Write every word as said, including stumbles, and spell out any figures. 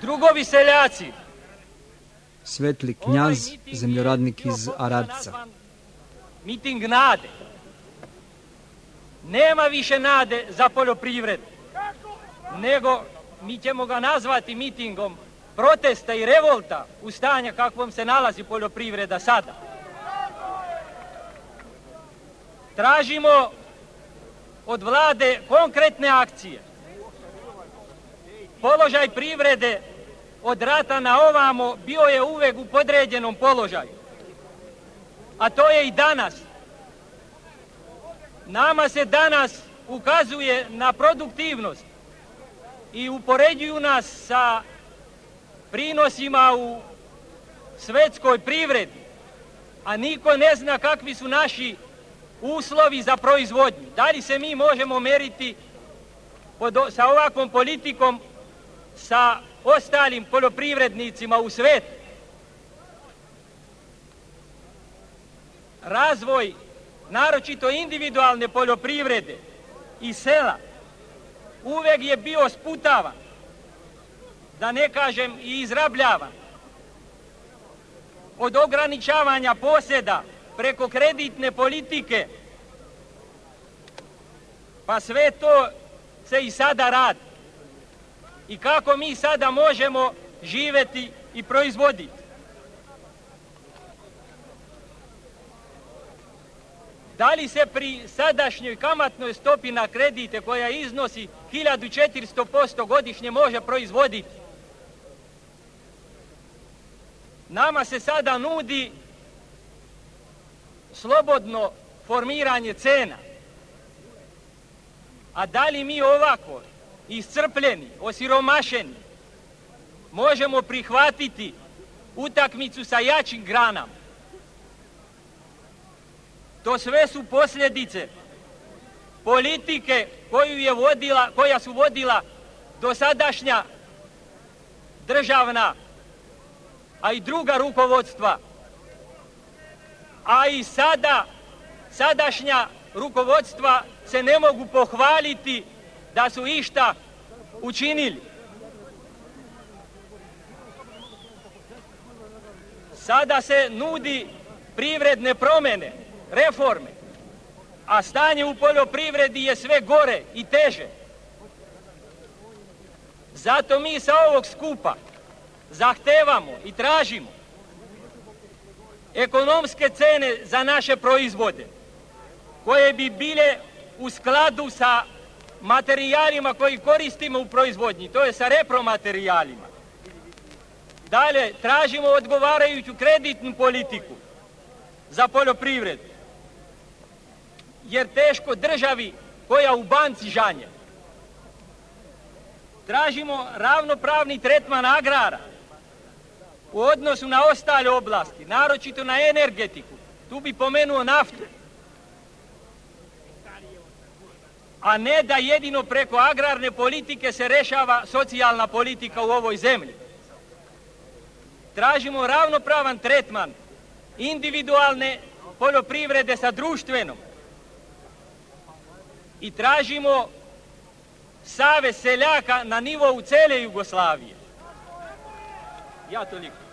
drugovi seljaci. Svetli knjaz, zemljoradnik iz Aradca. Miting nade. Nema više nade za poljoprivredu, nego mi ćemo ga nazvati mitingom protesta i revolta u stanju kakvom se nalazi poljoprivreda sada. Tražimo od vlade konkretne akcije. Položaj privrede od rata na ovamo bio je uvek u podređenom položaju. A to je i danas. Nama se danas ukazuje na produktivnost i upoređuju nas sa prinosima u svetskoj privredi, a niko ne zna kakvi su naši uslovi za proizvodnju. Da li se mi možemo meriti pod, sa ovakvom politikom sa ostalim poljoprivrednicima u svetu? Razvoj, naročito individualne poljoprivrede i sela, uvek je bio sputavan, da ne kažem i izrabljavan. Od ograničavanja posjeda preko kreditne politike, pa sve to se i sada radi. I kako mi sada možemo živeti i proizvoditi? Da li se pri sadašnjoj kamatnoj stopi na kredite koja iznosi hiljadu četiristo posto godišnje može proizvoditi? Nama se sada nudi slobodno formiranje cena. A da li mi ovako iscrpljeni, osiromašeni, možemo prihvatiti utakmicu sa jačim granama? To sve su posljedice politike koju je vodila, koja su vodila dosadašnja državna, a i druga rukovodstva, a i sada sadašnja rukovodstva se ne mogu pohvaliti da su išta učinili. Sada se nudi privredne promjene, reforme, a stanje u poljoprivredi je sve gore i teže. Zato mi sa ovog skupa zahtevamo i tražimo ekonomske cene za naše proizvode, koje bi bile u skladu sa materijalima koji koristimo u proizvodnji, to je sa repromaterijalima. Dalje, tražimo odgovarajuću kreditnu politiku za poljoprivredu, jer teško državi koja u banci žanje. Tražimo ravnopravni tretman agrara u odnosu na ostale oblasti, naročito na energetiku. Tu bi pomenuo naftu. A ne da jedino preko agrarne politike se rešava socijalna politika u ovoj zemlji. Tražimo ravnopravan tretman individualne poljoprivrede sa društvenom. I tražimo savez seljaka na nivou cele Jugoslavije. Ja toliko.